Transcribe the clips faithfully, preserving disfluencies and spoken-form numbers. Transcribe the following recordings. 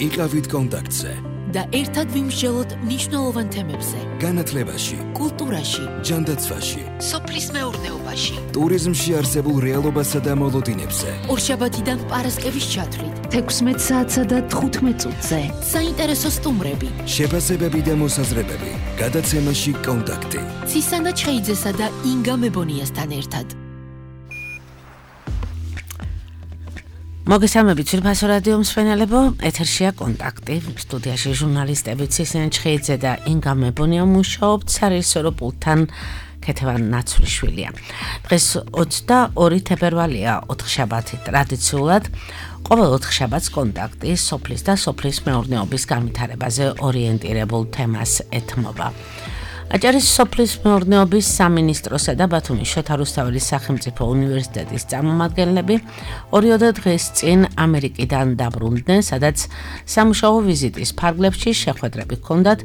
იყავით კონტაქტზე და ერთად ვიმსჯელოთ მნიშვნელოვან თემებზე. განათლებაში, კულტურაში, ჯანდაცვაში, სოფლის მეურნეობაში, ტურიზმში არსებულ რეალობასა და მოლოდინებზე. ორშაბათიდან პარასკევის ჩათვლით, თექვსმეტ საათსა და თხუთმეტ წუთზე. საინტერესო სტუმრები, შეფასებები და მოსაზრებები. გადაცემაში კონტაქტი. ცისანა ჩხეიძესა და ინგა მებონიასთან ერთად. მოგესალმებით ძვირფასო რადიო მსმენელებო, ეთერშია კონტაქტი, სტუდიაში ჟურნალისტები ცისანა ჩხეიძე და ინგა მებონია მუშაობთ, სარეჟისორო პულტთან ქეთევან ნაცვლიშვილია. დღეს ოცდაორი თებერვალია, ოთხშაბათი. ტრადიციულად ყოველ ოთხშაბათს კონტაქტი სოფლის და სოფლის მეურნეობის განვითარებაზე ორიენტირებულ თემას ეთმობა. აჭარის სოფლის მეურნეობის სამინისტროსა და ბათუმის შოთა რუსთაველის სახელმწიფო უნივერსიტეტის წარმომადგენლები ორიოდე დღეს წინ ამერიკიდან დაბრუნდნენ, სადაც სამუშაო ვიზიტის ფარგლებში შეხვედრები ჰქონდათ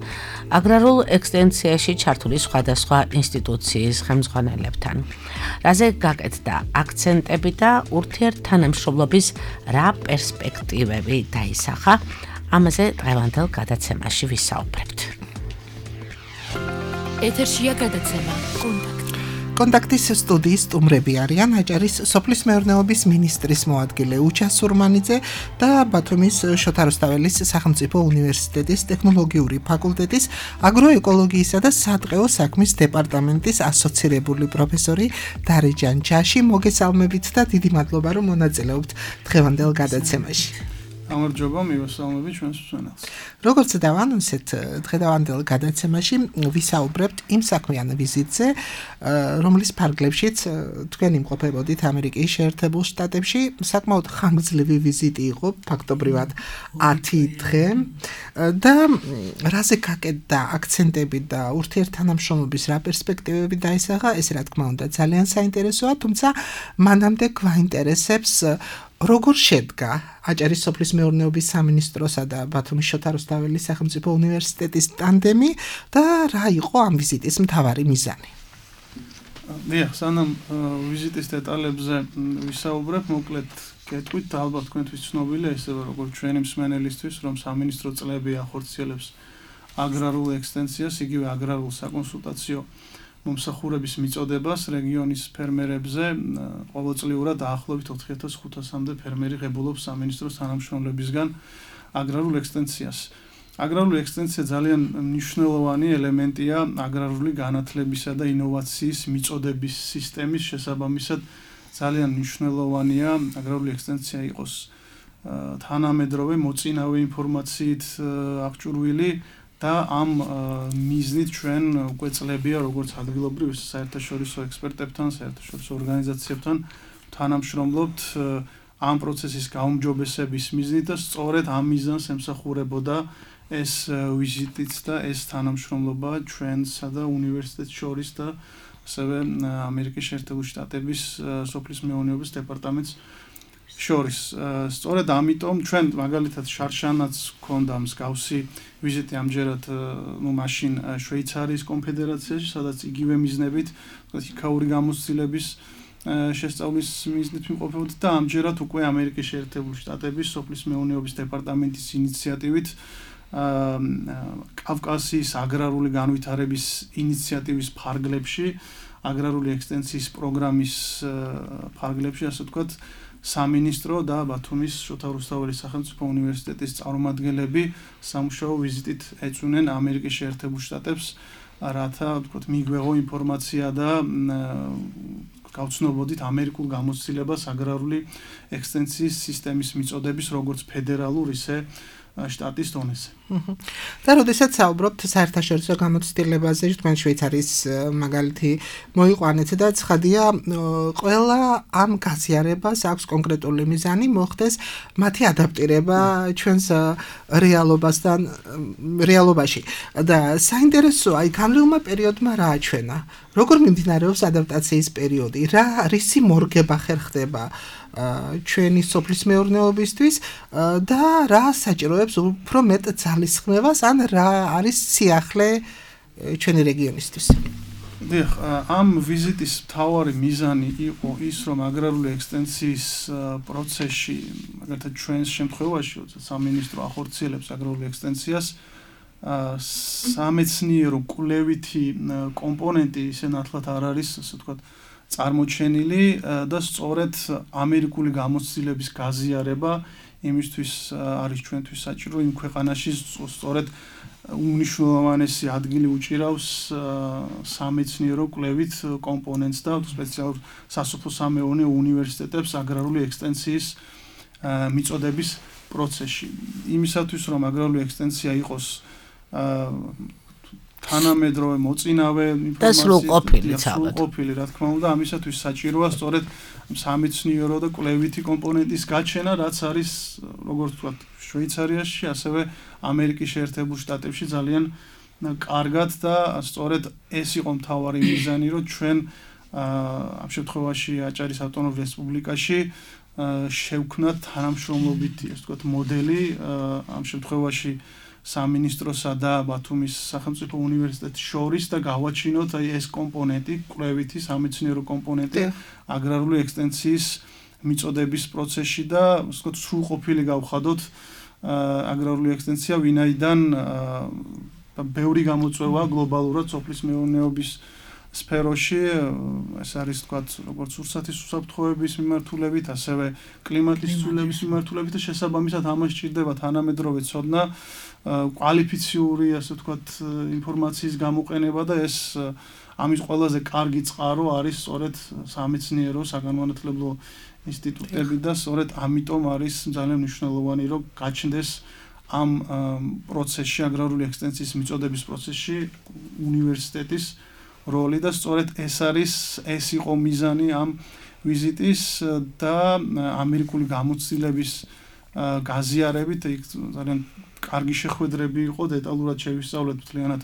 აგრარულ ექსტენსიაში ჩართული სხვადასხვა ინსტიტუციის ხელმძღვანელებთან. რაზე გაკეთდა აქცენტები და ურთიერთთანამშრომლობის რა პერსპექტივები დაისახა, ამაზე დღევანდელ გადაცემაში ვისაუბრებთ. ეთერშია გადაცემა კონტაქტი. კონტაქტის სტუდიის სტუმრები არიან აჭარის სოფლის მეურნეობის მინისტრის მოადგილე უჩა სურმანიძე და ბათუმის შოთა რუსთაველის სახელმწიფო უნივერსიტეტის ტექნოლოგიური ფაკულტეტის აგროეკოლოგიისა და სატყეო საქმის დეპარტამენტის ასოცირებული პროფესორი დარეჯან ჯაში. მოგესალმებით და დიდი მადლობა რომ მონაწილეობთ დღევანდელ გადაცემაში. გამარჯობა, მივესალმებით ჩვენს მსმენელს. როგორც დავანონსეთ, დღევანდელ გადაცემაში ვისაუბრებთ იმ საქმიან ვიზიტზე, რომლის ფარგლებშიც თქვენ იმყოფებოდით ამერიკის შეერთებულ შტატებში. საკმაოდ ხანგრძლივი ვიზიტი იყო, ფაქტობრივად ათი დღე და რაზე გაკეთდა აქცენტები და ურთიერთთანამშრომლობის რა პერსპექტივები დაისახა, ეს რა თქმა უნდა ძალიან საინტერესოა, თუმცა მანამდე გვაინტერესებს როგორ შედგა აჭარის სოფლის მეურნეობის სამინისტროსა და ბათუმის შოთა რუსთაველის სახელმწიფო უნივერსიტეტის ტანდემი და რა იყო ამ ვიზიტის მთავარი მიზანი? დიახ, სანამ ვიზიტის დეტალებზე ვისაუბრებ, მოკლედ გეტყვით, ალბათ თქვენთვის ცნობილია ისევე როგორც ჩვენი მსმენელისთვის, რომ სამინისტრო წლები ახორციელებს აგრარულ ექსტენსიას, იგივე აგრარულ საკონსულტაციო მომსახურების მიწოდებას რეგიონის ფერმერებზე. ყოველწლიურად დაახლოებით ოთხი ათას ხუთასამდე ფერმერი ღებულობს სამინისტროს თანამშრომლებისგან აგრარულ ექსტენსიას. აგრარული ექსტენსია ძალიან მნიშვნელოვანი ელემენტია აგრარული განათლებისა და ინოვაციის მიწოდების სისტემის შესაბამისად. ძალიან მნიშვნელოვანია აგრარული ექსტენსია იყოს თანამედროვე მოწინავე ინფორმაციით აღჭურვილი და ამ მიზნით ჩვენ უკვე წლებია როგორც ადგილობრივ საერთაშორისო ექსპერტებთან, საერთაშორისო ორგანიზაციებთან თანამშრომლობთ ამ პროცესის გაუმჯობესების მიზნით და სწორედ ამ მიზანს ემსახურებოდა ეს ვიზიტიც და ეს თანამშრომლობა ჩვენსა და უნივერსიტეტს შორის და ასევე ამერიკის შეერთებული შტატების სოფლის მეურნეობის დეპარტამენტს შორის. სწორედ ამიტომ ჩვენ მაგალითად შარშანაც ჰქონდა მსგავსი ვიზიტი ამჯერად ნუ მაშინ შვეიცარიის კონფედერაციაში, სადაც იგივე მიზნებით, იქაური გამოცდილების შესწავლის მიზნით ვიმყოფებოდი და ამჯერად უკვე ამერიკის შეერთებული შტატების სოფლის მეურნეობის დეპარტამენტის ინიციატივით კავკასიის აგრარული განვითარების ინიციატივის ფარგლებში, აგრარული ექსტენსიის პროგრამის ფარგლებში, ასე ვთქვათ, სამინისტრო და ბათუმის შოთა რუსთაველის სახელმწიფო უნივერსიტეტის წარმომადგენლები სამუშაო ვიზიტით ეწვნენ ამერიკის შეერთებულ შტატებს, რათა ვთქვათ მიგვეღო ინფორმაცია და გავცნობოდით ამერიკულ გამოცდილებას აგრარული ექსტენსიის სისტემის მიწოდების როგორც ფედერალურ, ისე შტატის დონეზე. და როდესაც საუბრობთ საერთაშორისო გამოცდილებაზე, თქვენ შვეიცარიის მაგალითი მოიყვანეთ და ცხადია, ყველა ამ გაზიარებას აქვს კონკრეტული მიზანი, მოხდეს მათი ადაპტირება ჩვენს რეალობასთან, რეალობაში. და საინტერესოა, აი გამრავლმა პერიოდმა რა აჩვენა? როგორ მიმდინარეობს ადაპტაციის პერიოდი? რა რისი მორგება ხერხდება ჩვენი სოფლის მეურნეობისთვის და რა საჭიროებს უფრო მეტ ძალისხმევას ან რა არის სიახლე ჩვენი რეგიონისთვის? დიახ, ამ ვიზიტის მთავარი მიზანი იყო ის, რომ აგრარული ექსტენსიის პროცესში, მაგალითად ჩვენს შემთხვევაში, სამინისტრო ახორციელებს აგრარული ექსტენსიას, სამეცნიერო კვლევითი კომპონენტი ისე ნათლად არ არის, ასე ვთქვათ, წარმოჩენილი და სწორედ ამერიკული გამოცდილების გაზიარება იმისთვის არის ჩვენთვის საჭირო იმ ქვეყანაში სწორედ უნიშნულოვანესი ადგილი უჭირავს სამეცნიერო კვლევით კომპონენტს და სპეციალურ სასოფლო-სამეურნეო უნივერსიტეტებს აგრარული ექსტენსიის მიწოდების პროცესში. იმისათვის რომ აგრარული ექსტენსია იყოს თანამედროვე მოწინავე და სრულყოფილი ცალკე. სრულყოფილი, რა თქმა უნდა, ამისათვის საჭიროა სწორედ სამეცნიერო და კვლევითი კომპონენტის გაჩენა, რაც არის, როგორც ვთქვათ, შვეიცარიაში, ასევე ამერიკის შეერთებულ შტატებში ძალიან კარგად და სწორედ ეს იყო მთავარი მიზანი, რომ ჩვენ ამ შემთხვევაში აჭარის ავტონომურ რესპუბლიკაში შევქნათ თანამშრომლობითი, ასე ვთქვათ, მოდელი ამ შემთხვევაში სამინისტროსა და ბათუმის სახელმწიფო უნივერსიტეტის შორის და გავაჩინოთ აი ეს კომპონენტი, კვლევითი სამეცნიერო კომპონენტი აგრარული ექსტენსიის მიწოდების პროცესში და ასე ვთქვათ, სრულყოფილი გავხადოთ აგრარული ექსტენსია, ვინაიდან ბევრი გამოწვევა გლობალურად სოფლის მეურნეობის სფეროში, ეს არის თქვათ, როგორც ურსათის უსაფრთხოების მიმართულებით, ასევე კლიმატის ცვლილების მიმართულებით და შესაბამისად ამას სჭირდება თანამედროვე ცოდნა, კვალიფიციური, ასე ვთქვათ, ინფორმაციის გამოყენება და ეს ამის ყველაზე კარგი წყარო არის სწორედ სამეცნიერო საგანმანათლებლო ინსტიტუტები და სწორედ ამიტომ არის ძალიან მნიშვნელოვანი, რომ გაჩნდეს ამ პროცესში, აგრარული ექსტენსიის მიწოდების პროცესში უნივერსიტეტის როლი და სწორედ ეს არის, ეს იყო მიზანი ამ ვიზიტის და ამერიკული გამოცდილების გაზიარებით, იქ ძალიან კარგი შეხვედრები იყო, დეტალურად შევისწავლეთ მთლიანად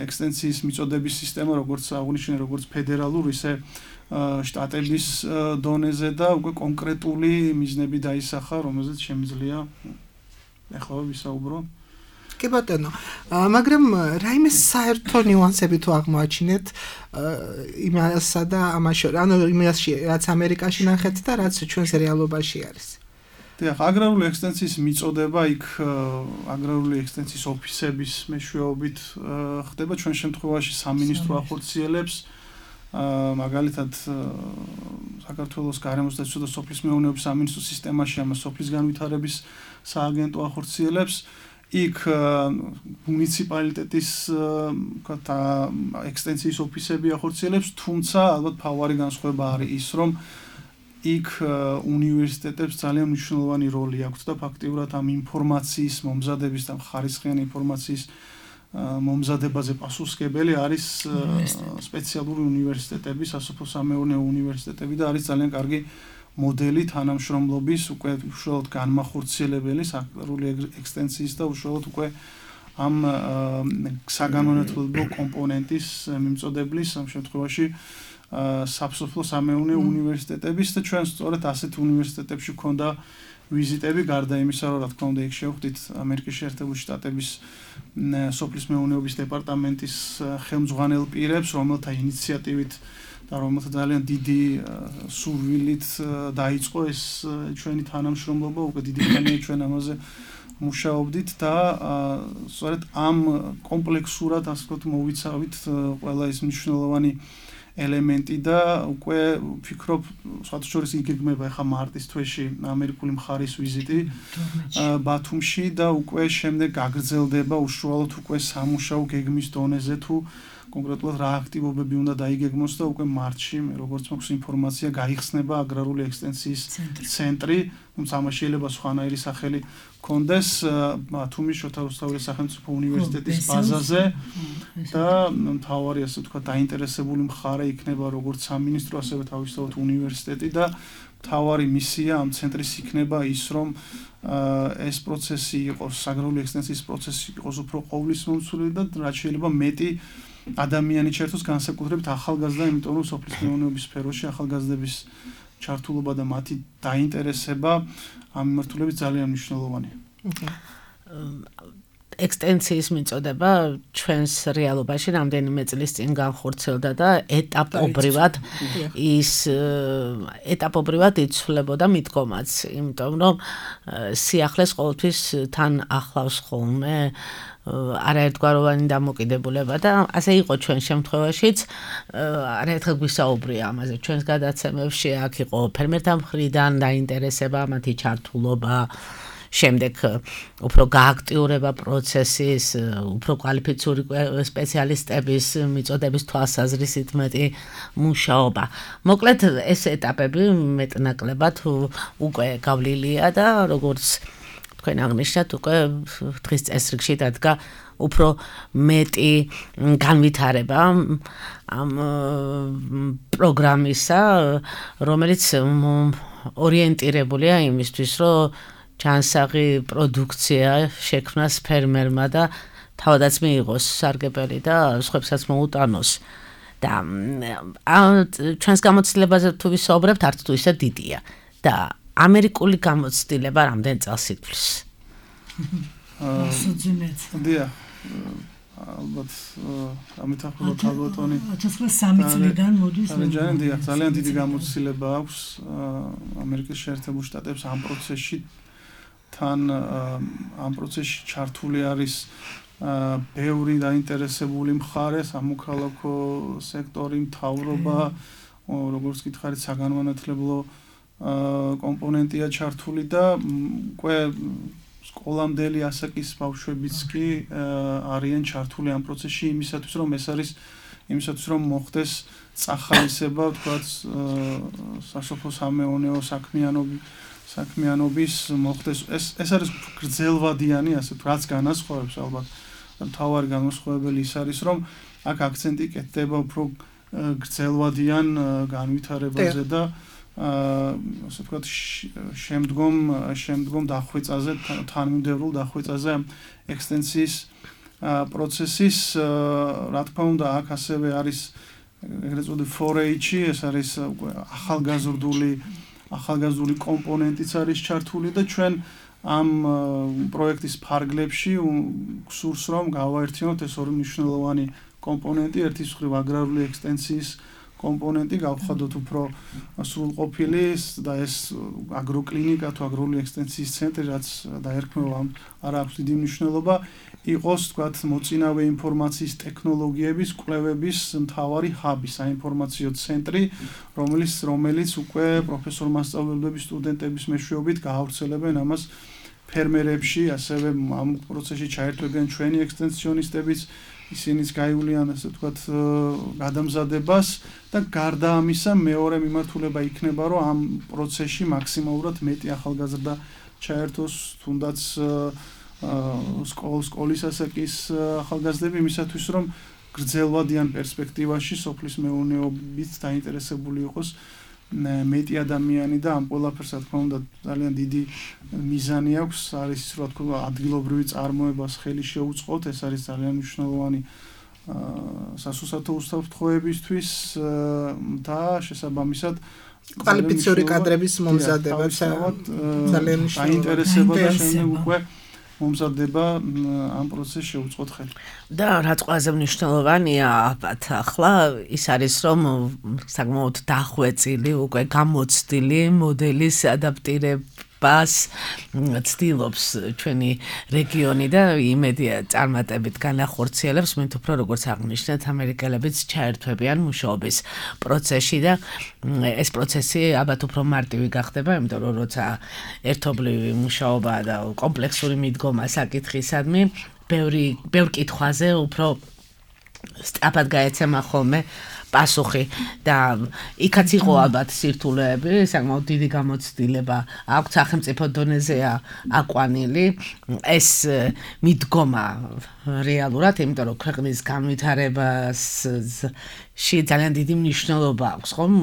ექსტენსიის მიწოდების სისტემა, როგორც აღნიშნე, როგორც ფედერალურ, ისე შტატების დონეზე და უკვე კონკრეტული მიზნები დაისახა, რომელზეც შემიძლია ახლა ვისაუბრო. კი ბატონო, მაგრამ რაიმე საერთო ნიუანსები თუ აღმოაჩინეთ იმასა და ამას შორის, ანუ იმაში, რაც ამერიკაში ნახეთ და რაც ჩვენს რეალობაში არის. დიახ, აგრარული ექსტენსიის მიწოდება იქ აგრარული ექსტენსიის ოფისების მეშვეობით ხდება, ჩვენ შემთხვევაში სამინისტრო ახორციელებს, მაგალითად საქართველოს გარემოსდაცვისა და სოფლის მეურნეობის სამინისტროს სისტემაში ამას სოფლის განვითარების სააგენტო ახორციელებს. იქ მუნიციპალიტეტის ექსტენსიის ოფისები ახორციელებს, თუმცა ალბათ მთავარი განსხვავება არის ის, რომ იქ უნივერსიტეტებს ძალიან მნიშვნელოვანი როლი აქვთ და ფაქტიურად ამ ინფორმაციის მომზადების და ხარისხიანი ინფორმაციის მომზადებაზე პასუხისმგებელი არის სპეციალური უნივერსიტეტები, სასოფლო-სამეურნეო უნივერსიტეტები და არის ძალიან კარგი მოდელი თანამშრომლობის, უკვე უშუალოდ განმახორციელებელი აგრარული ექსტენსიის და უშუალოდ უკვე ამ საგანმანათლებლო კომპონენტის მიმწოდებლის ამ შემთხვევაში სასოფლო-სამეურნეო უნივერსიტეტების და ჩვენ სწორედ ასეთ უნივერსიტეტებში გვქონდა ვიზიტები, გარდა იმისა, რომ რა თქმა უნდა იქ შევხვდით ამერიკის შეერთებული შტატების სოფლის მეურნეობის დეპარტამენტის ხელმძღვანელ პირებს, რომელთა ინიციატივით და რომელთა ძალიან დიდი სურვილით დაიწყო ეს ჩვენი თანამშრომლობა, უკვე დიდი ხანია ჩვენ ამაზე მუშაობდით და სწორედ ამ კომპლექსურად, ასე ვთქვათ, მოვიცავით ყველა ეს მნიშვნელოვანი ელემენტი და უკვე ვფიქრობ, სხვათა შორის იგეგმება ახლა მარტის თვეში ამერიკული მხარის ვიზიტი ბათუმში და უკვე შემდეგ გაგრძელდება უშუალოდ უკვე სამუშაო გეგმის დონეზე თუ კონკრეტულად რა აქტივობები უნდა დაიგეგმოს და უკვე მარტში, როგორც მაქვს ინფორმაცია, გაიხსნება აგრარული ექსტენსიის ცენტრი, თუმცა ამას შეიძლება სხვანაირი სახელი კონდეს ბათუმის შოთა რუსთაველის სახელმწიფო უნივერსიტეტის ბაზაზე და მთავარი, ასე ვთქვათ, დაინტერესებული მხარე იქნება როგორც სამინისტრო, ასევე თავისთავად უნივერსიტეტი და მთავარი მისია ამ ცენტრის იქნება ის, რომ ეს პროცესი იყოს, აგრარული ექსტენსიის პროცესი იყოს უფრო ყოვლისმომცველი და რაც შეიძლება მეტი ადამიანი ჩართოს განსაკუთრებით ახალგაზრდა, იმიტომ რომ სოფლის მეურნეობის სფეროში ახალგაზრდების ჩართულობა და მათი დაინტერესება ამ მიმართულებით ძალიან მნიშვნელოვანია. ექსტენსიის მიწოდება ჩვენს რეალობაში რამდენიმე წლის წინ განხორციელდა და ეტაპობრივად ის ეტაპობრივად იცვლებოდა მიდგომაც, იმიტომ რომ სიახლეს ყოველთვის თან ახლავს ხოლმე არაერთგვაროვანი დამოკიდებულება და ასე იყო ჩვენ შემთხვევაშიც არაერთხელ გვისაუბრია ამაზე ჩვენს გადაცემებში აქ იყო ფერმერთა მხრიდან დაინტერესება მათი ჩართულობა შემდეგ უფრო გააქტიურება პროცესის, უფრო კვალიფიციური სპეციალისტების მიწოდების თვალსაზრისით მეტი მუშაობა. მოკლედ ეს ეტაპები მეტნაკლებად უკვე გავლილია და როგორც თქვენ აღნიშნეთ, უკვე დღის წესრიგში დადგა უფრო მეტი განვითარება ამ პროგრამისა, რომელიც ორიენტირებულია იმისთვის, რომ ჩანსაღი პროდუქცია შექმნას ფერმერმა და თავადაც მიიღოს სარგებელი და სხვებსაც მოუტანოს. და ჩვენს გამოცდილებაზე თუ ვისაუბრებთ, არც თუ ისე დიდია და ამერიკული გამოცდილება რამდენ წელს ითვლის? დია ალბათ ამეთახოთ ალბათონი ათას სამი წლიდან მოდის. დია ძალიან დიდი გამოცდილება აქვს ამერიკის შეერთებულ შტატებს ამ პროცესში თან ამ პროცესში ჩართული არის ბევრი დაინტერესებული მხარე, სამოქალაქო სექტორი, მთავრობა, როგორც გითხარით, საგანმანათლებლო კომპონენტია ჩართული და უკვე სკოლამდელი ასაკის ბავშვებიც კი არიან ჩართული ამ პროცესში იმისათვის, რომ ეს არის იმისათვის, რომ მოხდეს წახალისება, თქვათ, სასოფლო-სამეურნეო საქმიანობის საქმიანობის მოხდეს ეს ეს არის გრძელვადიანი ასე რაც განასხვავებს ალბათ მთავარი განსხვავებელი ის არის რომ აქ აქცენტი კეთდება უფრო გრძელვადიან განვითარებაზე და ასე ვთქვათ შემდგომ შემდგომ დახვეწაზე თანმიმდევრულ დახვეწაზე ექსტენსიის პროცესის რა თქმა უნდა აქ ასევე არის ეგრეთ წოდებული four H ეს არის ახალგაზრდული ახალგაზრდული კომპონენტიც არის ჩართული და ჩვენ ამ პროექტის ფარგლებში გსურს რომ გავაერთიანოთ ეს ორი მნიშვნელოვანი კომპონენტი, ერთის მხრივ აგრარული ექსტენსიის კომპონენტი, გავხადოთ უფრო სრულყოფილი და ეს აგროკლინიკა თუ აგრარული ექსტენსიის ცენტრი, რაც დაერქმევა არ აქვს დიდი მნიშვნელობა, იყოს თქვათ მოწინავე ინფორმაციის ტექნოლოგიების კვლევების მთავარი ჰაბი, საინფორმაციო ცენტრი, რომელიც რომელიც უკვე პროფესორ მასწავლებლების, სტუდენტების მეშვეობით გაავრცელებენ ამას ფერმერებში, ასევე ამ პროცესში ჩაერთვებიან ჩვენი ექსტენსიონისტებიც, ისინიც გაივლიან ასე ვთქვათ გადამზადებას და გარდა ამისა მეორე მიმართულება იქნება, რომ ამ პროცესში მაქსიმალურად მეტი ახალგაზრდა ჩაერთოს, თუნდაც სკოლის სკოლის ასაკის ახალგაზრდები იმისათვის რომ გრძელვადიან პერსპექტივაში სოფლის მეურნეობით დაინტერესებული იყოს მეტი ადამიანი და ამ ყველაფერს რა თქმა უნდა ძალიან დიდი მიზანი აქვს არის ის რა თქმა უნდა ადგილობრივი წარმოებას ხელი შეუწყოთ ეს არის ძალიან მნიშვნელოვანი სასუსათო უსაფრთხოებისთვის და შესაბამისად კვალიფიციური კადრების მომზადება ძალიან დაინტერესება და შემდეგ უკვე მომზადება ამ პროცესში შეუწყოთ ხელი. და რაც ყველაზე მნიშვნელოვანია ალბათ ახლა ის არის რომ საკმაოდ დახვეწილი უკვე გამოცდილი მოდელის ადაპტირებას ცდილობს ჩვენი რეგიონი და იმედია წარმატებით განახორციელებს მით უფრო როგორც აღნიშნეთ ამერიკელებიც ჩაერთვებიან მუშაობის პროცესში და ეს პროცესი ალბათ უფრო მარტივი გახდება იმიტომ რომ როცა ერთობლივი მუშაობა და კომპლექსური მიდგომა საკითხისადმი ბევრი ბევრ კითხვაზე უფრო სწრაფად გაეცემა ხოლმე პასუხი და იქაც იყო ალბათ სირთულეები, საკმაოდ დიდი გამოცდილება აქვს სახელმწიფო დონეზეა აკვანილი ეს მიდგომა რეალურად, იმიტომ რომ ქვეყნის განვითარებას ში ძალიან დიდი მნიშვნელობა აქვს ხომ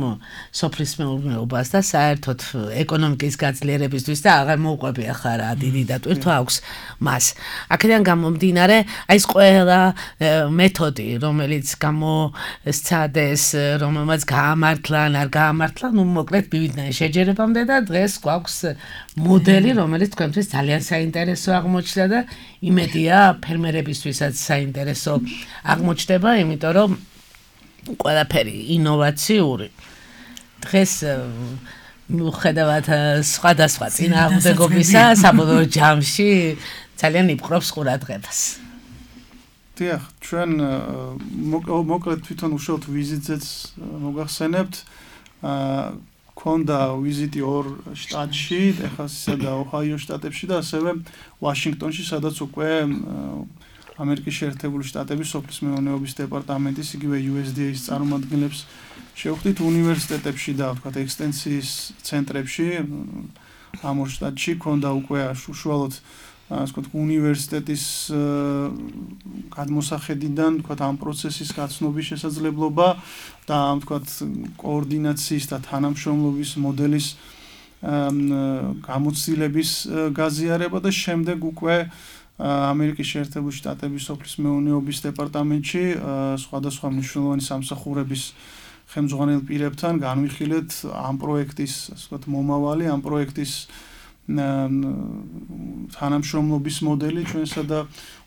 სოფლის მეურნეობას და საერთოდ ეკონომიკის გაძლიერებისთვის და აღარ მოუყვები ახლა რა დიდი დატვირთვა აქვს მას. აქედან გამომდინარე, აი ეს ყველა მეთოდი, რომელიც გამოსცადეს, რომელმაც გაამართლა, არ გაამართლა, ну მოკლედ მივიდნენ შეჯერებამდე და დღეს გვაქვს მოდელი, რომელიც თქვენთვის ძალიან საინტერესო აღმოჩნდა და იმედია ფერმერებისთვისაც საინტერესო აღმოჩნდება, იმიტომ რომ ყველაფერი ინოვაციური. დღეს მიუხედავად სხვადასხვა წინააღმდეგობისა, საბოლოო ჯამში ძალიან იპყრობს ყურადღებას. დიახ, ჩვენ მოკლედ თვითონ უშუალოდ ვიზიტზეც მოგახსენებთ. ქონდა ვიზიტი ორ შტატში, ტეხასისა და ოჰაიო შტატებში და ასევე ვაშინგტონში, სადაც უკვე ამერიკის შეერთებული შტატების სოფლის მეურნეობის დეპარტამენტის იგივე U S D A-ის წარმომადგენლებს შევხვდით უნივერსიტეტებში და ვთქვათ ექსტენსიის ცენტრებში. ამ ორ შტატში ქონდა უკვე უშუალოდ ასე ვთქვათ უნივერსიტეტის გადმოსახედიდან ვთქვათ ამ პროცესის გაცნობის შესაძლებლობა და ამ ვთქვათ კოორდინაციის და თანამშრომლობის მოდელის გამოცდილების გაზიარება და შემდეგ უკვე ამერიკის შეერთებული შტატების სოფლის მეურნეობის დეპარტამენტში სხვადასხვა მნიშვნელოვანი სამსახურების ხელმძღვანელ პირებთან განვიხილეთ ამ პროექტის ასე ვთქვათ მომავალი, ამ პროექტის თანამშრომლობის მოდელი ჩვენსა და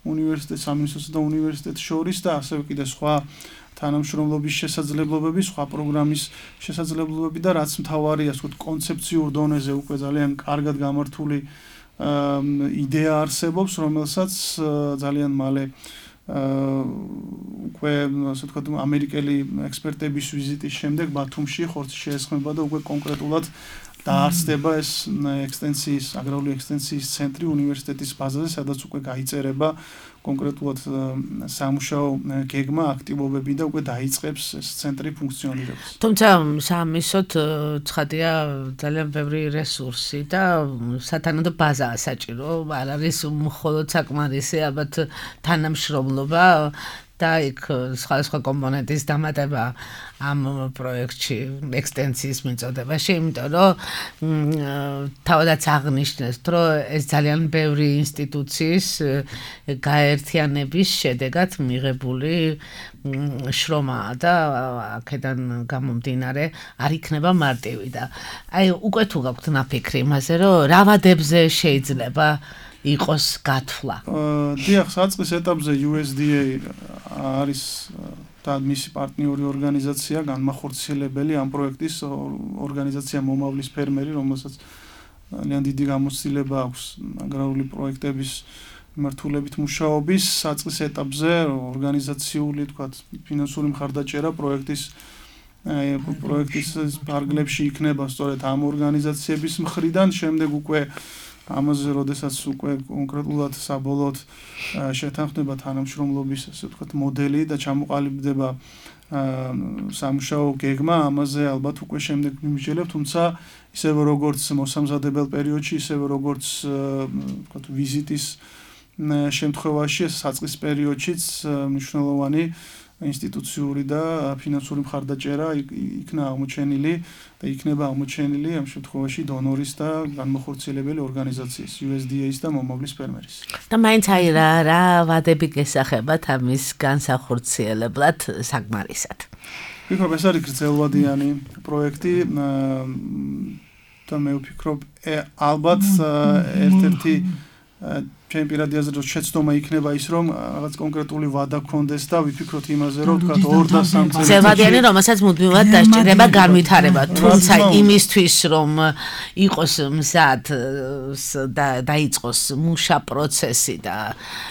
უნივერსიტეტ სამინისტროსა და უნივერსიტეტს შორის და ასევე კიდე სხვა თანამშრომლობის შესაძლებლობები, სხვა პროგრამის შესაძლებლობები და რაც მთავარია, ასე ვთქვათ, კონცეფციურ დონეზე უკვე ძალიან კარგად გამართული იდეა არსებობს, რომელსაც ძალიან მალე უკვე ასე ვთქვათ, ამერიკელი ექსპერტების ვიზიტის შემდეგ ბათუმში ხორცი შეესხმება და უკვე კონკრეტულად დაარსდება ეს ექსტენსიის, აგრარული ექსტენსიის ცენტრი უნივერსიტეტის ბაზაზე, სადაც უკვე გაიწერება კონკრეტულად სამუშაო გეგმა, აქტივობები და უკვე დაიწყებს ეს ცენტრი ფუნქციონირებას. თუმცა სამისოთ ცხადია ძალიან ბევრი რესურსი და სათანადო ბაზაა საჭირო, არ არის მხოლოდ საკმარისი ალბათ თანამშრომლობა და იქ სხვადასხვა კომპონენტის დამატება ამ პროექტში ექსტენსიის მიწოდებაში, იმიტომ რომ თავადაც აღნიშნეს, რომ ეს ძალიან ბევრი ინსტიტუციის გაერთიანების შედეგად მიღებული შრომაა და აქედან გამომდინარე არ იქნება მარტივი და აი უკვე თუ გაქვთ ნაფიქრი იმაზე, რომ რა ვადებზე შეიძლება იყოს გათვლა. დიახ, საწყის ეტაპზე U S D A არის და მისი პარტნიორი ორგანიზაცია, განმახორციელებელი ამ პროექტის ორგანიზაცია მომავლის ფერმერი, რომელსაც ძალიან დიდი გამოცდილება აქვს აგრარული პროექტების მიმართულებით მუშაობის. საწყის ეტაპზე ორგანიზაციული, თქვათ, ფინანსური მხარდაჭერა პროექტის პროექტის ფარგლებში იქნება სწორედ ამ ორგანიზაციების მხრიდან, შემდეგ უკვე ამაზე როდესაც უკვე კონკრეტულად საბოლოოდ შეთანხმდება თანამშრომლობის, ასე ვთქვათ, მოდელი და ჩამოყალიბდება სამუშაო გეგმა, ამაზე ალბათ უკვე შემდეგ მიმიჯელებ, თუმცა ისევე როგორც მოსამზადებელ პერიოდში, ისევე როგორც ვთქვათ ვიზიტის შემთხვევაში, საწყის პერიოდშიც მნიშვნელოვანი ინსტიტუციური და ფინანსური მხარდაჭერა იქნა აღმოჩენილი და იქნება აღმოჩენილი ამ შემთხვევაში დონორის და განმახორციელებელი ორგანიზაციის U S D A-ის და მომავლის ფერმერის. და მაინც აი რა რა ვადები გესახებათ ამის განსახორციელებლად საკმარისად. ვფიქრობ, ეს არის გრძელვადიანი პროექტი და მე ვფიქრობ, ალბათ ერთ-ერთი ჩემი პირადი აზრით შეცდომა იქნება ის, რომ რაღაც კონკრეტული ვადა გქონდეს და ვიფიქროთ იმაზე, რომ თქვათ ორ და სამ წელიწადში გრძელვადიანი, რომელსაც მუდმივად დასჭირდება განვითარება, თუმცა იმისთვის, რომ იყოს მზად და დაიწყოს მუშა პროცესი და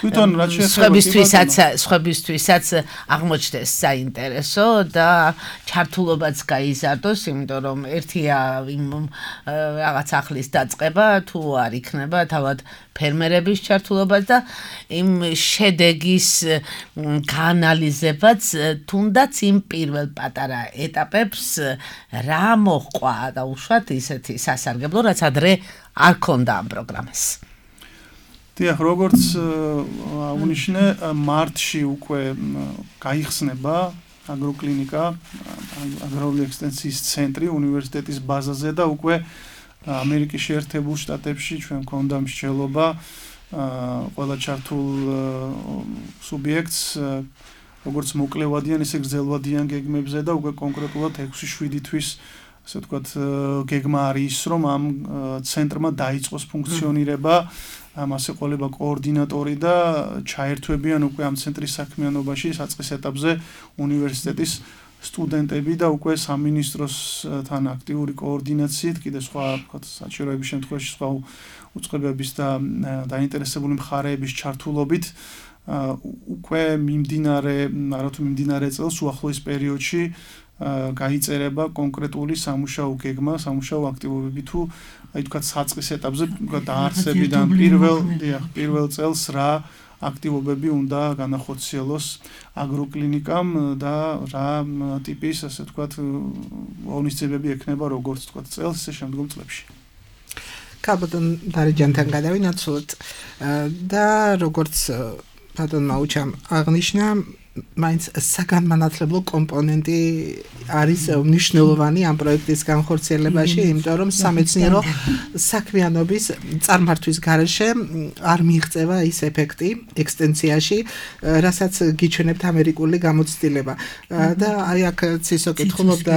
თვითონ რაც შეეხება სხვებისთვისაც სხვებისთვისაც აღმოჩნდეს საინტერესო და ჩართულობაც გაიზარდოს, იმიტომ რომ ერთია იმ რაღაც ახლის დაწყება, თუ არ იქნება თავად ფერმერების ჩართულობაც და იმ შედეგის გაანალიზებაც, თუნდაც იმ პირველ პატარა ეტაპებს რა მოჰყვა და უშუალოდ ისეთი სასარგებლო, რაც ადრე არ ქონდა ამ პროგრამას. დიახ, როგორც აღნიშნე, მარტში უკვე გაიხსნება აგროკლინიკა, აგრარული ექსტენსიის ცენტრი უნივერსიტეტის ბაზაზე და უკვე ამერიკის შეერთებულ შტატებში ჩვენ გვქონდა მსჯელობა ყველა ჩართულ სუბიექტს როგორც მოკლევადიან, ისე გრძელვადიან გეგმებზე და უკვე კონკრეტულად ექვსი შვიდი თვის ასე ვთქვათ გეგმა არის ის, რომ ამ ცენტრმა დაიწყოს ფუნქციონირება, ამას ეყოლება კოორდინატორი და ჩაერთვებიან უკვე ამ ცენტრის საქმიანობაში საწყის ეტაპზე უნივერსიტეტის სტუდენტები და უკვე სამინისტროსთან აქტიური კოორდინაციით, კიდე სხვა ვთქვათ საჭიროების შემთხვევაში სხვა უწყებების და დაინტერესებული მხარეების ჩართულობით უკვე მიმდინარე, არათუ მიმდინარე წელს უახლოეს პერიოდში გაიწერება კონკრეტული სამუშაო გეგმა, სამუშაო აქტივობები თუ აი თქვათ საწყის ეტაპზე დაარსებიდან პირველ პირველ წელს რა აქტივობები უნდა განახორციელოს აგროკლინიკამ და რა ტიპის ასე ვთქვათ ღონისძიებები ექნება როგორც ვთქვათ წელს, ისე შემდგომ წლებში. კაბადონ დარეჯანთან გადავინაცვლოთ და როგორც ბატონმა უჩამ აღნიშნა მაინც საგანმანათლებლო კომპონენტი არის მნიშვნელოვანი ამ პროექტის განხორციელებაში, იმიტომ რომ სამეცნიერო საქმიანობის წარმართვის გარეშე არ მიიღწევა ის ეფექტი ექსტენსიაში, რასაც გიჩვენებთ ამერიკული გამოცდილება. და აი აქ ცისო კითხულობდა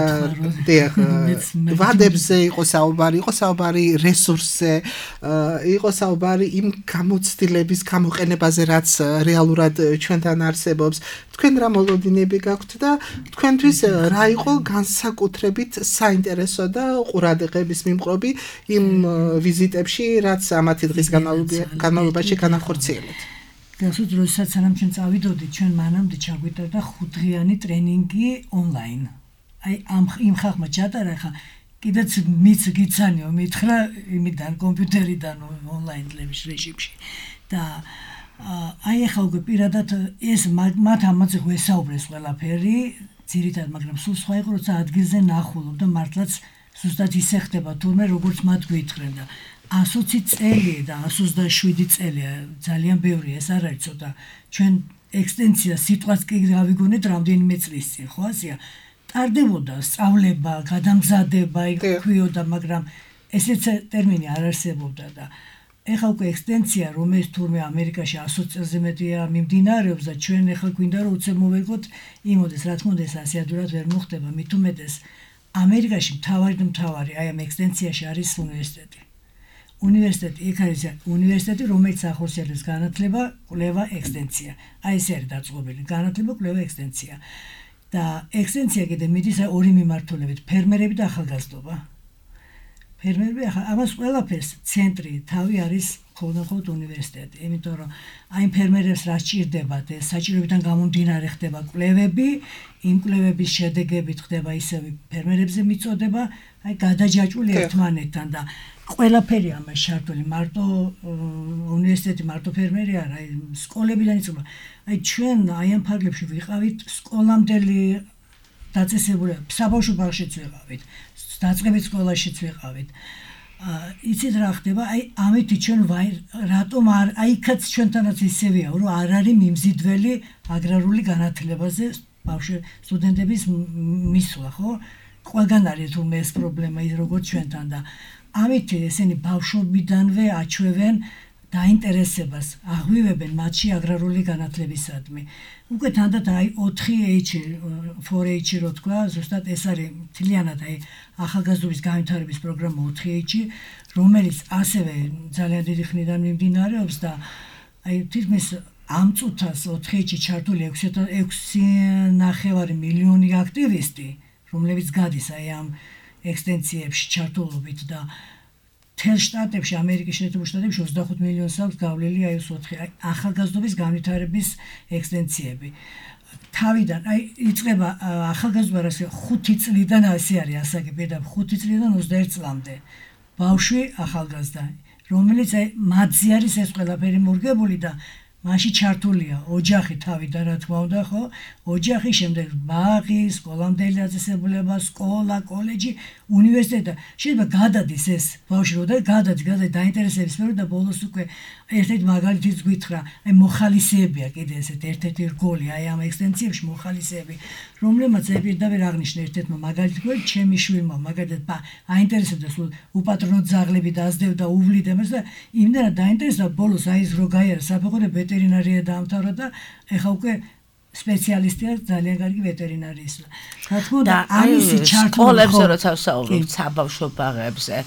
ვადებზე იყო საუბარი, იყო საუბარი რესურსზე, იყო საუბარი იმ გამოცდილების გამოყენებაზე, რაც რეალურად ჩვენთან არსებობს. თქვენ რა მოლოდინები გაქვთ და თქვენთვის რა იყო განსაკუთრებით საინტერესო და ყურადღების მიმყრობი იმ ვიზიტებში, რაც ამათი დღის განმავლობაში განახორციელებთ? გასულ როდესაც სანამ ჩვენ წავიდოდით, ჩვენ მანამდე ჩაგვიტარდა ხუთდღიანი ტრენინგი ონლაინ. აი ამ იმ ხალხმა ჩატარა ხა კიდეც მიც გიცანიო მითხრა იმიდან კომპიუტერიდან ონლაინ რეჟიმში და აი ახლა უკვე პირადად ეს მათ ამაზე ვესაუბრეს ყველაფერი, ძირითადად, მაგრამ სულ სხვა იყო, როცა ადგილზე ნახულობ და მართლაც ზუსტად ისე ხდება თურმე როგორც მათ გვითხრენ და ასოცი წელი და ასი ოცდაშვიდი წელია ძალიან ბევრი, ეს არ არის ცოტა. ჩვენ ექსტენსია სიტყვას კი გავიგონეთ რამდენიმე წლის წინ, ხო ასეა? ტარდებოდა სწავლება, გადამზადება, იქვიოდა, მაგრამ ესეც ტერმინი არ არსებობდა და ეხლა უკვე ექსტენსია, რომელიც თურმე ამერიკაში ასი წელზე მეტია მიმდინარეობს და ჩვენ ეხლა გვინდა რომ უცებ მოვეკოთ იმოდეს, რა თქმა უნდა ეს ასე ადვილად ვერ მოხდება, მით უმეტეს ამერიკაში მთავარი და მთავარი აი ამ ექსტენსიაში არის უნივერსიტეტი. უნივერსიტეტი, იქ არის უნივერსიტეტი, რომელიც ახორციელებს განათლება, კვლევა, ექსტენსია. აი ეს არის დაწყობილი, განათლება, კვლევა, ექსტენსია. და ექსტენსია კიდე მიდის ორი მიმართულებით, ფერმერები და ახალგაზრდობა. ფერმერები ახლა ამას ყველაფერს ცენტრი თავი არის ხოლმე უნივერსიტეტი, იმიტომ რომ აი ფერმერებს რა სჭირდებათ, ეს საჭიროებიდან გამომდინარე ხდება კვლევები, იმ კვლევების შედეგებით ხდება ისევ ფერმერებზე მიწოდება, აი გადაჯაჭვული ერთმანეთთან და ყველაფერი ამას ჩართული, მარტო უნივერსიტეტი, მარტო ფერმერი არა, აი სკოლებიდან იწყება. აი ჩვენ აი ამ ფარგლებში ვიყავით სკოლამდელი დაწესებულება, საბავშვო ბაღშიც ვიყავით. დაწყებით სკოლაშიც ვიყავით. იცით რა ხდება? აი ამით ჩვენ რატომ არ აი იქაც ჩვენთანაც ისევია, რომ არ არის მიმზიდველი აგრარული განათლებაზე ბავშვი სტუდენტების მისვლა, ხო? ყველგან არის თურმე ეს პრობლემა ის როგორც ჩვენთან და ამით ესენი ბავშვობიდანვე აჩვევენ დაინტერესებას, აღვივებენ მათში აგრარული განათლებისადმი. უკვე თანდათ აი ოთხი ეიჩ, ორი ეიჩ რო თქვა, ზუსტად ეს არის მთლიანად აი ახალგაზრდობის განვითარების პროგრამა ოთხი ეიჩ, რომელიც ასევე ძალიან დიდი ხნიდან მიმდინარეობს და აი თითქმის ამ წუთას ოთხი ეიჩ ჩართული ექვსი ნახევარი მილიონი აქტივისტი, რომლებიც გადის აი ამ ექსტენსიებში ჩართულობით და თელ შტატებში, ამერიკის შეერთებულ შტატებში ოცდახუთ მილიონს აქვს გავლილი აი ეს ოთხი ახალგაზრდობის განვითარების ექსტენსიები. თავიდან აი იწყება ახალგაზრდობა რა ხუთი წლიდან ასე არის ასაკი, პირდაპირ ხუთი წლიდან ოცდაერთ წლამდე. ბავშვი ახალგაზრდა, რომელიც აი მათზე არის ეს ყველაფერი მორგებული და მაშინ ჩართულია ოჯახი თავიდან რა თქმა უნდა ხო ოჯახი შემდეგ ბაღი სკოლამდელი დაწესებულება სკოლა კოლეჯი უნივერსიტეტი შეიძლება გადადის ეს ბავშვი რო და გადადის გადადის დაინტერესების სფერო და ბოლოს უკვე ერთ-ერთი მაგალითიც გითხრა აი მოხალისეებია კიდე ესეთ ერთ-ერთი რგოლი აი ამ ექსტენსიებში მოხალისეები რომლებმაც პირდაპირ აღნიშნა ერთ-ერთმა მაგალითი გქონდა ჩემი შვილმა მაგალითად აინტერესებდა სულ უპატრონო ძაღლები დაძდევდა უვლიდა მას და იმდენად დაინტერესდა ბოლოს აი ეს რო გაიარა საფეხურე ვეტერინარია დაამთავრა და ეხა უკვე სპეციალისტია ძალიან კარგი ვეტერინარიის. რა თქმა უნდა, ამისი ჩართული სკოლებზე როცა ვსაუბრობთ საბავშვო ბაღებზე,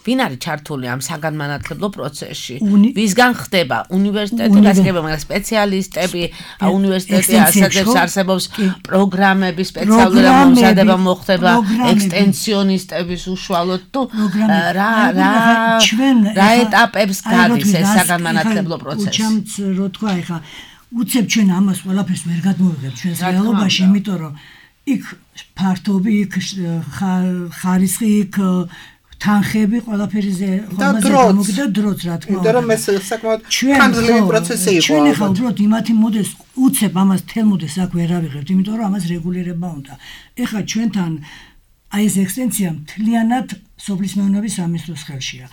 ვინ არის ჩართული ამ საგანმანათლებლო პროცესში? ვისგან ხდება უნივერსიტეტი, გასაგებია, მაგრამ სპეციალისტები, უნივერსიტეტი ასაგებს არსებობს პროგრამები, სპეციალური მომზადება მოხდება ექსტენსიონისტების უშუალოდ თუ რა რა რა ეტაპებს გადის ეს საგანმანათლებლო პროცესი? უჩამც რო თქვა ეხა უცებ ჩვენ ამას ყველაფერს ვერ გადმოვიღებთ ჩვენს რეალობაში, იმიტომ რომ იქ ფართობი, იქ ხარისხი, იქ თანხები ყველაფერიზე ხომაზე გამოგდა დროც რა თქმა უნდა. იმიტომ რომ ეს საკმაოდ ხანგრძლივი პროცესი იყო. ჩვენ ახლა უბრალოდ იმათი მოდელს უცებ ამას თელ მოდელს აქ ვერ ავიღებთ, იმიტომ რომ ამას რეგულირება უნდა. ეხლა ჩვენთან აი ეს ექსტენსია მთლიანად სოფლის მეურნეობის სამინისტროს ხელშია.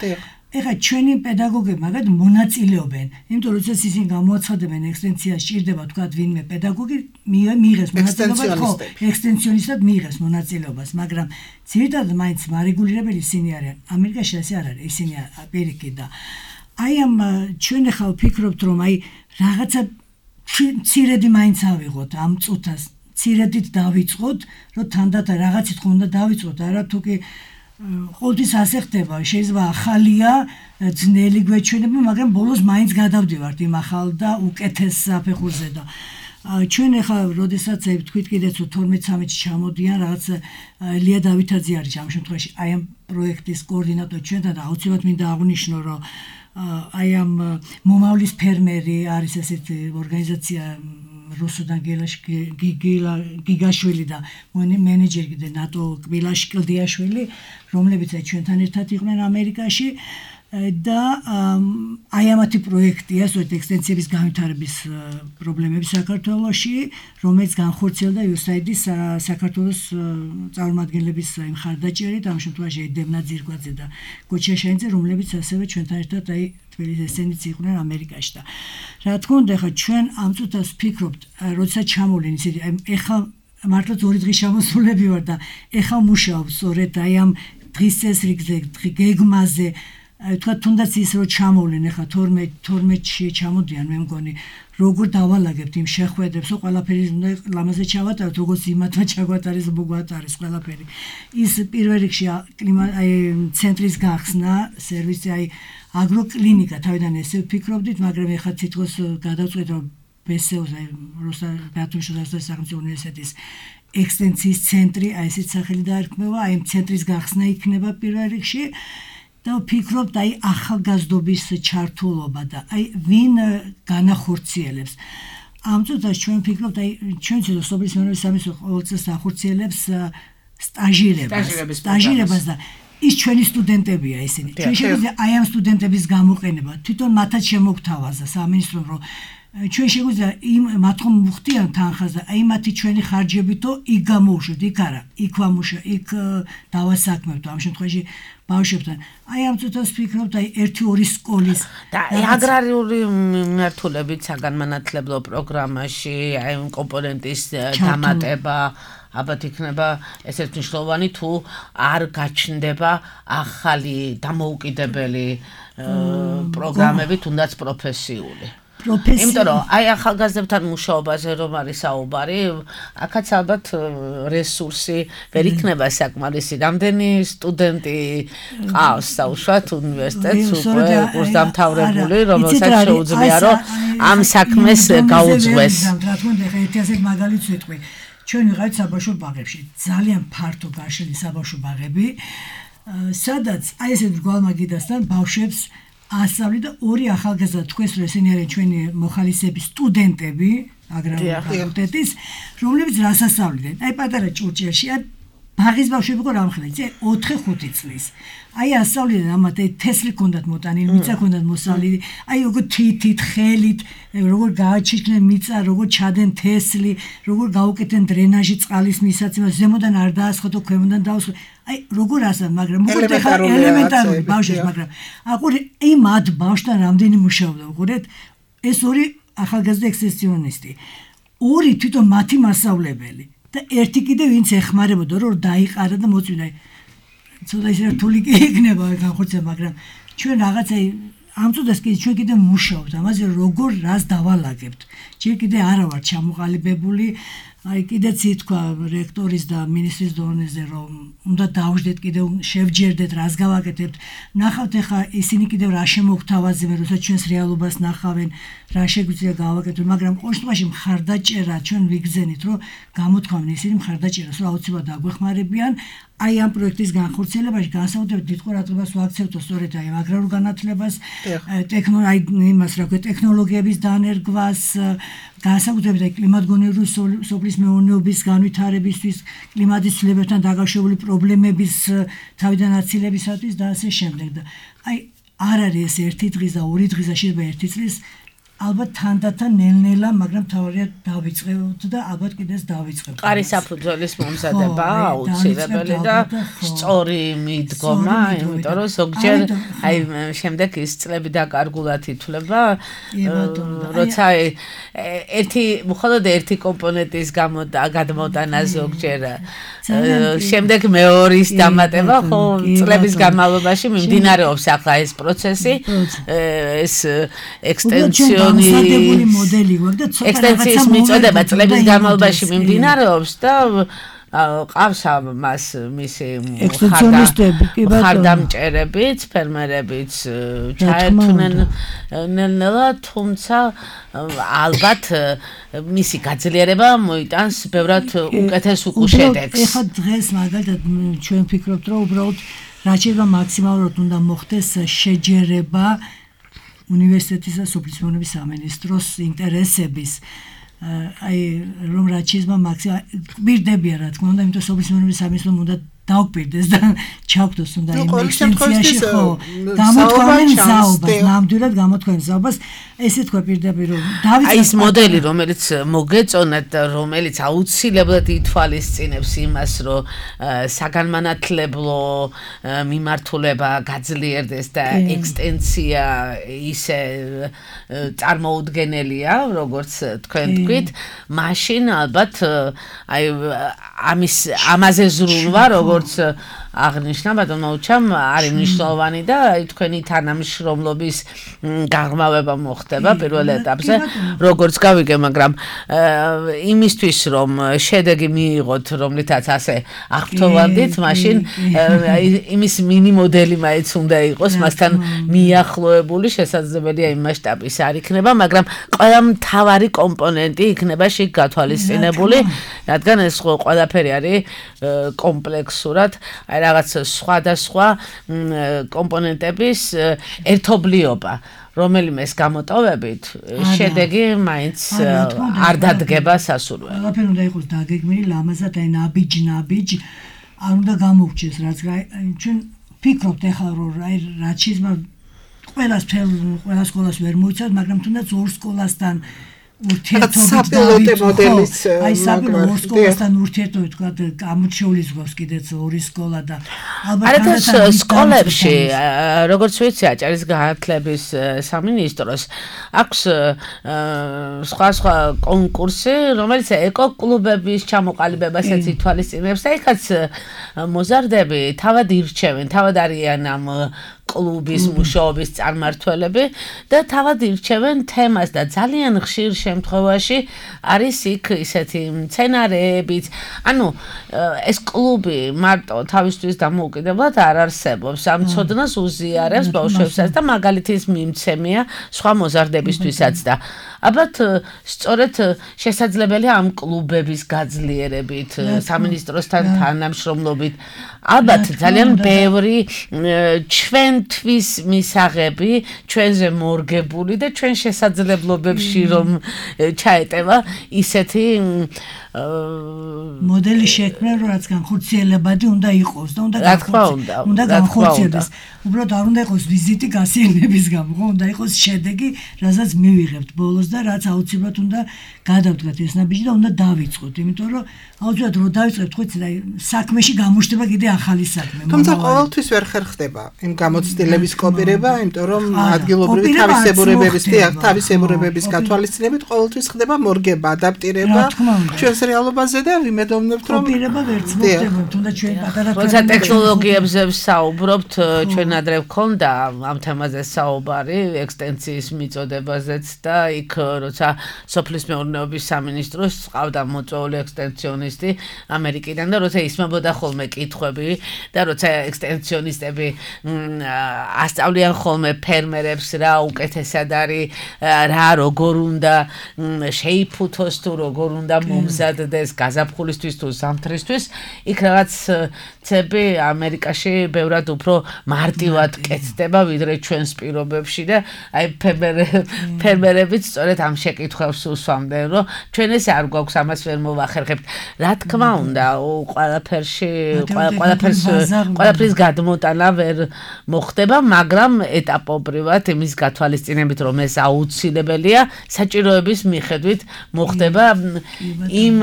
ეხლა ჩვენი პედაგოგები მაგათ მონაწილეობენ, იმიტომ რომ როდესაც ისინი გამოაცხადებენ ექსტენსიას ჭირდება თქვა ვინმე პედაგოგი მიიღეს მონაწილეობას, ხო, ექსტენსიონისტად მიიღეს მონაწილეობას, მაგრამ ძირითადად მაინც მარეგულირებელი ისინი არიან. ამერიკაში ასე არ არის, ისინი ამერიკი და აი ამ ჩვენ ახლა ვფიქრობთ რომ აი რაღაცა ცირედი მაინც ავიღოთ ამ წუთას, ცირედით დავიწყოთ, რომ თანდათან რაღაცით ხომ უნდა დავიწყოთ, არა თუ კი ყოველთვის ასე ხდება, შეიძლება ახალია, ძნელი გვეჩვენება, მაგრამ ბოლოს მაინც გადავდივართ იმ ახალ და უკეთეს საფეხურზე და ჩვენ ახლა როდესაც თქვით კიდეც თორმეტ ცხრამეტში ჩამოდიან რაღაც ლია დავითაძე არის ამ შემთხვევაში აი ამ პროექტის კოორდინატორი ჩვენთან და აუცილებლად მინდა აღვნიშნო რომ აი ამ მომავლის ფერმერი არის ესეთი ორგანიზაცია რუსუდან გიგაშვილი და მენეჯერი და ნატო კბილაში კლდიაშვილი რომლებიც ჩვენთან ერთად იყვნენ ამერიკაში და აი ამათი პროექტია სწორედ ექსტენსიების განვითარების პრობლემები საქართველოში რომელიც განხორციელდა იუ ეს აი აიდის საქართველოს წარმომადგენლების მხარდაჭერით ამ შემთხვევაში დევნა ძირკვაძე და გოჩა შაინძე რომლებიც ასევე ჩვენთან ერთად აი თბილისის ესენიც იყვნენ ამერიკაში და რა თქმა უნდა ხა ჩვენ ამ წუთას ვფიქრობთ როდესაც ჩამოვლენ ისეთი ეხლა მართლაც ორი დღის შემოსულები ვარ და ეხლა მუშაობ სწორედ აი ამ დღის წესრიგზე გეგმაზე თქვა თუნდაც ის რო ჩამოვლენ ახლა თორმეტში ჩამოდიან მე მგონი როგორ დავალაგებთ იმ შეხვედრებს ყველაფერი უნდა ლამაზე ჩავატაროთ როგორც იმათმა ჩაგვატარეს მოგვატარეს ყველაფერი ის პირველ რიგში აი ცენტრის გახსნა სერვისი აი აგროკლინიკა თავიდან ესე ვფიქრობდით მაგრამ ახლა თითქოს გადავწყვეტ რომ ბესეუს აი რუსეთის სახელმწიფო უნივერსიტეტის ექსტენსიის ცენტრი აი ესეთ სახელი დაერქმევა აი ამ ცენტრის გახსნა იქნება პირველ რიგში და ვფიქრობთ აი ახალგაზრდობის ჩართულობა და აი ვინ განახორციელებს ამ წუთას ჩვენ ვფიქრობთ აი ჩვენ ცოტა სოფლის მეურნეობის სამინისტრო ყოველწელს ახორციელებს სტაჟირებას სტაჟირებას და ის ჩვენი სტუდენტებია ისინი ჩვენ შეგვიძლია აი ამ სტუდენტების გამოყენება თვითონ მათაც შემოგთავაზა სამინისტრომ რომ ჩვენ შეგვიძლია იმ მათ ხომ მუხტიან თანხაზე აი მათი ჩვენი ხარჯებითო იქ გამოუშვით იქ არა იქ ვამუშა იქ დავასაქმებთ ამ შემთხვევაში ბავშვებთან აი ამ წუთას ვფიქრობთ აი ერთი ორი სკოლის და აგრარიული მიმართულებით საგანმანათლებლო პროგრამაში აი კომპონენტის დამატება ალბათ იქნება ესეც მნიშვნელოვანი თუ არ გაჩნდება ახალი დამოუკიდებელი პროგრამები თუნდაც პროფესიული იმიტომ რომ აი ახალგაზრდებთან მუშაობაზე რომ არის საუბარი, აქაც ალბათ რესურსი ვერ იქნება საკმარისი. რამდენი სტუდენტი ყავს საუშვათ უნივერსიტეტს უკვე კურსდამთავრებული, რომელსაც შეუძლია რომ ამ საქმეს გაუძღვეს. რა თქმა უნდა, ერთი ასეთ მაგალითს ვიტყვი. ჩვენ ვიყავით საბავშვო ბაღებში, ძალიან ფართო გაშლილი საბავშვო ბაღები, სადაც აი ესეთ მრგვალმაგიდასთან ბავშვებს ასწავლი და ორი ახალგაზრდა თქვენს რომ ესენი არიან ჩვენი მოხალისეები სტუდენტები აგრარული ფაკულტეტის რომლებიც რას ასწავლიდნენ აი პატარა ჭურჭელშია ბაღის ბავშვები იყო რამხელა იცი ოთხი ხუთი წლის აი ასწავლიდან ამათ აი თესლი ქონდათ მოტანილი მიწა ქონდათ მოსავლილი აი როგორ თითით ხელით როგორ გააჩიჩნენ მიწა როგორ ჩადენ თესლი როგორ გაუკეთენ დრენაჟი წყლის მისაცემას ზემოდან არ დაასხოთ ქვემოდან დაასხოთ აი როგორ ასა მაგრამ მოკლედ ხა ელემენტარული ბავშვებს მაგრამ აყური იმ მათ ბავშვთან რამდენი მუშაობდა უყურეთ ეს ორი ახალგაზრდა ექსპრესიონისტი ორი თვითონ მათი მასწავლებელი და ერთი კიდე ვინც ეხმარებოდა რომ დაიყარა და მოწვიდა ცოტა ისე რთული კი იქნება განხორციელება მაგრამ ჩვენ რაღაცა ამ წუთას კიდე ჩვენ კიდე მუშაობთ ამაზე როგორ რას დავალაგებთ ჯერ კიდე არა ვარ ჩამოყალიბებული აი კიდეც ითქვა რექტორის და მინისტრის დონეზე რომ უნდა დავждეთ კიდევ შევჯერდეთ რას გავაკეთებთ ნახავთ ახლა ისინი კიდევ რა შემოგთავაზებენ როცა ჩვენს რეალობას ნახავენ რა შეგვიძლია გავაკეთოთ მაგრამ ყოველ შემთხვევაში მხარდაჭერა ჩვენ ვიგზენით რომ გამოთქვამენ ისინი მხარდაჭერას რომ აუცილებლად დაგვეხმარებიან აი ამ პროექტის განხორციელებაში განსაკუთრებით დიდ ყურადღებას ვაქცევთ სწორედ აი აგრარულ განათლებას ტექნოლოგიას იმას რა ქვია ტექნოლოგიების დანერგვას განსაკუთრებით აი კლიმატგონივრული სოფლის მეურნეობის განვითარებისთვის კლიმატის ცვლილებებთან დაკავშირებული პრობლემების თავიდან აცილებისათვის და ასე შემდეგ და აი არ არის ეს ერთი დღის და ორი დღის და შეიძლება ერთი წლის ალბათ თანდათან ნელ-ნელა მაგრამ თავარია დავიწყებთ და ალბათ კიდეც დავიწყებთ. ყარის საფუძველის მომზადება აუცილებელი და სწორი მიდგომა, იმიტომ რომ ზოგჯერ აი შემდეგ ის წლები დაკარგულად ითვლება, როცა ერთი მხოლოდ ერთი კომპონენტის გამო გადმოტანა ზოგჯერ შემდეგ მეორის დამატება ხო წლების განმავლობაში მიმდინარეობს ახლა ეს პროცესი, ეს ექსტენსიო განსადებული მოდელი გვაქვს და ცოტა ექსტენსიის მიწოდება წლების განმავლობაში მიმდინარეობს და ყავს მას მისი მხარდამჭერებიც, ფერმერებიც ჩაერთვნენ ნელ-ნელა, თუმცა ალბათ მისი გაძლიერება მოიტანს ბევრად უკეთეს უკუშედეგს. ეხლა დღეს მაგალითად ჩვენ ვფიქრობთ, რომ უბრალოდ რაც შეიძლება მაქსიმალურად უნდა მოხდეს შეჯერება უნივერსიტეტის და სოფლის მეურნეობის სამინისტროს ინტერესების აი რომ რაც შეიძლება მაქსიმალურად გვირდებია რა თქმა უნდა იმიტომ სოფლის მეურნეობის სამინისტრომ უნდა დაუკვირდეს და ჩავკდოს უნდა იმ ექსტენსიაში ხო გამოთქვამენ ზაობას ნამდვილად გამოთქვამენ ზაობას ესე თქვა პირდაპირ რომ დავიწყოთ აი ეს მოდელი რომელიც მოგეწონათ და რომელიც აუცილებლად ითვალისწინებს იმას რომ საგანმანათლებლო მიმართულება გაძლიერდეს და ექსტენსია ისე წარმოუდგენელია როგორც თქვენ თქვით მაშინ ალბათ აი ამის ამაზე ზრუნვა როგორც აღნიშნა ბატონო უჩამ არის მნიშვნელოვანი და აი თქვენი თანამშრომლობის გაღრმავება მოხდება პირველ ეტაპზე როგორც გავიგე მაგრამ იმისთვის რომ შედეგი მიიღოთ რომლითაც ასე აღფრთოვანდით მაშინ იმის მინი მოდელი მაინც უნდა იყოს მასთან მიახლოებული შესაძლებელია იმ მასშტაბის არ იქნება მაგრამ ყველა მთავარი კომპონენტი იქნება შიგ გათვალისწინებული რადგან ეს ყველაფერი არის კომპლექსურად აი რაღაც სხვადასხვა კომპონენტების ერთობლიობა რომელიმეს გამოტოვებით შედეგი მაინც არ დადგება სასურველად. ყველაფერი უნდა იყოს დაგეგმილი ლამაზად აი ნაბიჯ-ნაბიჯ არ უნდა გამოვჭეს რაც ჩვენ ფიქრობთ ახლა რომ აი რაც შეიძლება ყველას ყველა სკოლას ვერ მოიცავთ მაგრამ თუნდაც ორ სკოლასთან ურთიერთობით მოდელის აი საბოლოო სკოლასთან ურთიერთობით თქვა გამოჩეულის გვაქვს კიდეც ორი სკოლა და ალბათ სკოლებში როგორც ვიცი აჭარის განათლების სამინისტროს აქვს სხვა სხვა კონკურსი რომელიც ეკო-კლუბების ჩამოყალიბებასაც ითვალისწინებს და იქაც მოზარდები თავად ირჩევენ თავად არიან ამ კლუბის მუშაობის წარმმართველები და თავად ირჩევენ თემას და ძალიან ხშირ შემთხვევაში არის იქ ისეთი მცენარეებიც ანუ ეს კლუბი მარტო თავისთვის დამოუკიდებლად არ არსებობს ამ ცოდნას უზიარებს ბავშვებსაც და მაგალითის მიმცემია სხვა მოზარდებისთვისაც და ალბათ სწორედ შესაძლებელია ამ კლუბების გაძლიერებით სამინისტროსთან თანამშრომლობით ალბათ ძალიან ბევრი ჩვენ ჩვენთვის მისაღები, ჩვენზე მორგებული და ჩვენ შესაძლებლობებში რომ ჩაეტევა ისეთი მოდელი შექმნა, რომ რაც განხორციელებადი უნდა იყოს და უნდა განხორციელდეს. უნდა განხორციელდეს. უბრალოდ არ უნდა იყოს ვიზიტი გასიელების გამო, ხო, უნდა იყოს შედეგი, რასაც მივიღებთ ბოლოს და რაც აუცილებლად უნდა გადავდგათ ეს ნაბიჯი და უნდა დავიწყოთ, იმიტომ რომ აუცილებლად რო დავიწყებთ, ხო, იცი, საქმეში გამოჩნდება კიდე ახალი საქმე. თუმცა ყოველთვის ვერ ხერხდება იმ გამოცდილების კოპირება, იმიტომ რომ ადგილობრივი თავისებურებების, თავისებურებების გათვალისწინებით ყოველთვის ხდება მორგება, ადაპტირება ჩვენს რეალობაზე და ვიმედოვნებთ, რომ კოპირება ვერ ცნობდება, თუნდაც ჩვენ პატარა როცა ტექნოლოგიებზე ვსაუბრობთ, ჩვენ ადრე გქონდა ამ თემაზე საუბარი, ექსტენსიის მიწოდებაზეც და იქ როცა სოფლის მეურნეობის სამინისტროს ყავდა მოწვეული ექსტენსიონისტი ამერიკიდან და როცა ისმებოდა ხოლმე კითხვები და როცა ექსტენსიონისტები ასწავლიან ხოლმე ფერმერებს რა უკეთესად არის, რა როგორ უნდა შეიფუთოს თუ როგორ უნდა მომზადდეს გაზაფხულისთვის თუ ზამთრისთვის, იქ რაღაც ცები ამერიკაში ბევრად უფრო მარტივად კეთდება ვიდრე ჩვენს პირობებში და აი ფერმერებიც სწორედ ამ შეკითხვებს უსვამდნენ, რომ ჩვენ ეს არ გვაქვს ამას ვერ მოვახერხებთ. რა თქმა უნდა, ყველაფერში ყველაფერს ყველაფრის გადმოტანა ვერ მოხდება, მაგრამ ეტაპობრივად იმის გათვალისწინებით, რომ ეს აუცილებელია, საჭიროების მიხედვით მოხდება იმ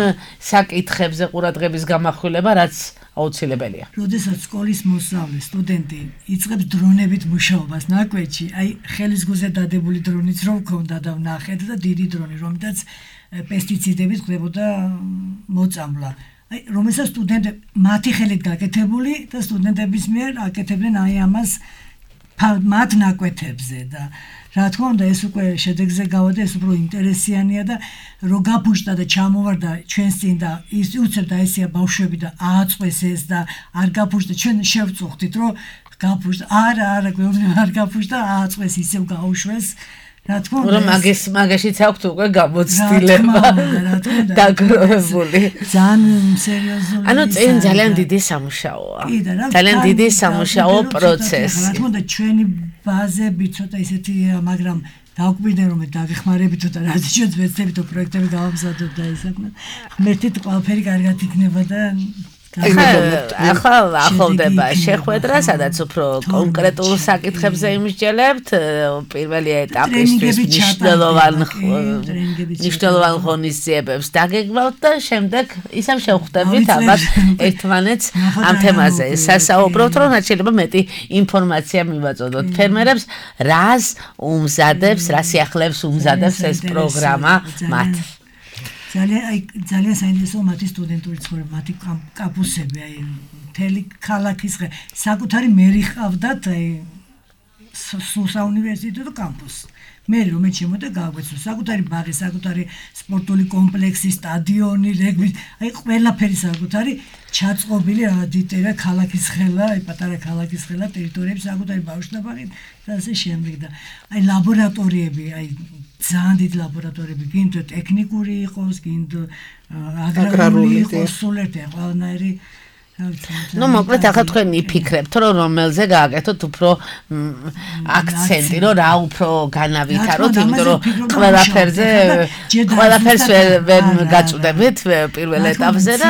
საკითხებზე ყურადღების გამახვილება, რაც აუცილებელია. როდესაც სკოლის მოსწავლე სტუდენტი იწყებს დრონებით მუშაობას ნაკვეთში, აი ხელის გულზე დადებული დრონიც რო ვქონდა და ვნახეთ და დიდი დრონი, რომლითაც პესტიციდებით ხდებოდა მოწამვლა. აი რომელსაც სტუდენტები მათი ხელით გაკეთებული და სტუდენტების მიერ აკეთებდნენ აი ამას მათ ნაკვეთებზე და რა თქმა უნდა ეს უკვე შედეგზე გავადა, ეს უფრო ინტერესიანია და რო გაფუშტა და ჩამოვარდა ჩვენს წინ და ის უცებ დაესია ბავშვები და ააწყვეს ეს და არ გაფუშტა, ჩვენ შევწუხდით რომ გაფუშტა, არა არა გვეუბნება არ გაფუშტა, ააწყვეს ისევ გაუშვეს. რა თქმა უნდა რომ მაგის მაგაშიც აქვს უკვე გამოცდილება დაგროვებული. ძალიან სერიოზული. ანუ წინ ძალიან დიდი სამუშაოა. ძალიან დიდი სამუშაო პროცესი. რა თქმა უნდა ჩვენი ბაზები ცოტა ისეთია, მაგრამ დაგვიყვნენ რომ დაგეხმარებით და რაც ჩვენ ვეცდებით პროექტები გავამზადოთ და ის საქმე. ღმერთით ყველაფერი კარგად იქნება და ახლა ახლდება შეხვედრა, სადაც უფრო კონკრეტულ საკითხებზე იმსჯელებთ, პირველი ეტაპისთვის მნიშვნელოვან მნიშვნელოვან ღონისძიებებს დაგეგმავთ და შემდეგ ისევ შევხვდებით ალბათ ერთმანეთს ამ თემაზე სასაუბროთ, რომ რაც შეიძლება მეტი ინფორმაცია მივაწოდოთ ფერმერებს, რას უმზადებს, რა სიახლეებს უმზადებს ეს პროგრამა მათ. ძალიან აი ძალიან საინტერესოა მათი სტუდენტური ცხოვრება, მათი კამპუსები, აი მთელი ქალაქის საკუთარი მერი ჰყავდათ, აი საუნივერსიტეტო კამპუსი. მერი რომ ეჩემოდა გააგვეცნო საკუთარი ბაღი, საკუთარი სპორტული კომპლექსი, სტადიონი, რეგბი, აი ყველაფერი საკუთარი ჩაწყობილი ადიტერა ქალაქის ხელა, აი პატარა ქალაქის ხელა ტერიტორიები საკუთარი ბავშვებაღი და ასე შემდეგ და აი ლაბორატორიები, აი ძალიან დიდი ლაბორატორიები, გინდ ტექნიკური იყოს, გინდ აგრარული იყოს, სულ ერთი ყველანაირი ნუ მოკლედ ახლა თქვენ იფიქრებთ, რომ რომელზე გააკეთოთ უფრო აქცენტი, რომ რა უფრო განავითაროთ, იმიტომ რომ ყველაფერზე ყველაფერს ვერ გაწვდებით პირველ ეტაპზე და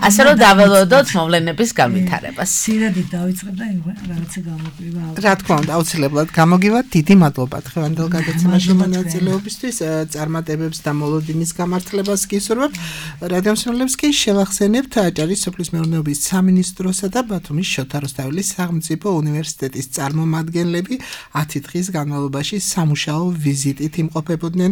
ასე რომ დაველოდოთ მოვლენების განვითარებას. სირადით დავიწყებ და რაღაცა გამოგვივა. რა თქმა უნდა, აუცილებლად გამოგივათ. დიდი მადლობა დღევანდელ გადაცემაში მონაწილეობისთვის, წარმატებებს და მოლოდინის გამართლებას გისურვებთ. რადიო მსმენელებს კი შევახსენებთ აჭარის სოფლის მეურნეობის სამინისტროსა და ბათუმის შოთა რუსთაველის სახელმწიფო უნივერსიტეტის წარმომადგენლები ათი დღის განმავლობაში სამუშაო ვიზიტით იმყოფებოდნენ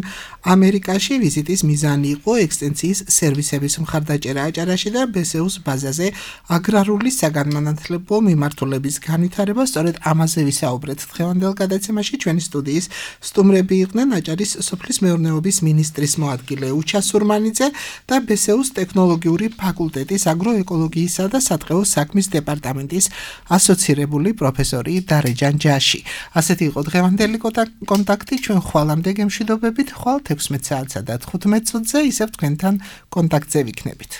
ამერიკაში. ვიზიტის მიზანი იყო ექსტენსიის სერვისების მხარდაჭერა აჭარაში და ბესეუს ბაზაზე აგრარული საგანმანათლებლო მიმართულების განვითარება. სწორედ ამაზე ვისაუბრეთ დღევანდელ გადაცემაში. ჩვენი სტუდიის სტუმრები იყვნენ აჭარის სოფლის მეურნეობის მინისტრის მოადგილე უჩა სურმანიძე და ბესეუს ტექნოლოგიური ფაკულტეტის აგროეკოლოგიისა და სატყეო საქმის დეპარტამენტის ასოცირებული პროფესორი დარეჯან ჯაში. ასეთი იყო დღევანდელი კონტაქტი. ჩვენ ხვალამდე გემშვიდობებით, ხვალ თექვსმეტ საათსა და თხუთმეტ წუთზე ისევ თქვენთან კონტაქტზე ვიქნებით.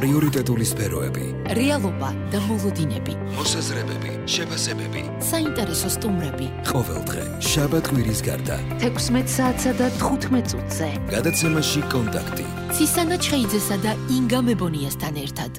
პრიორიტეტული სფეროები, რეალობა და მოლოდინები, მოსაზრებები, შეფასებები, საინტერესო სტუმრები. ყოველდღე შაბათ კვირის გარდა თექვსმეტ საათსა და თხუთმეტ წუთზე. გადაცემაში კონტაქტი. ცისანა ჩხეიძესა და ინგა მებონიასთან ერთად.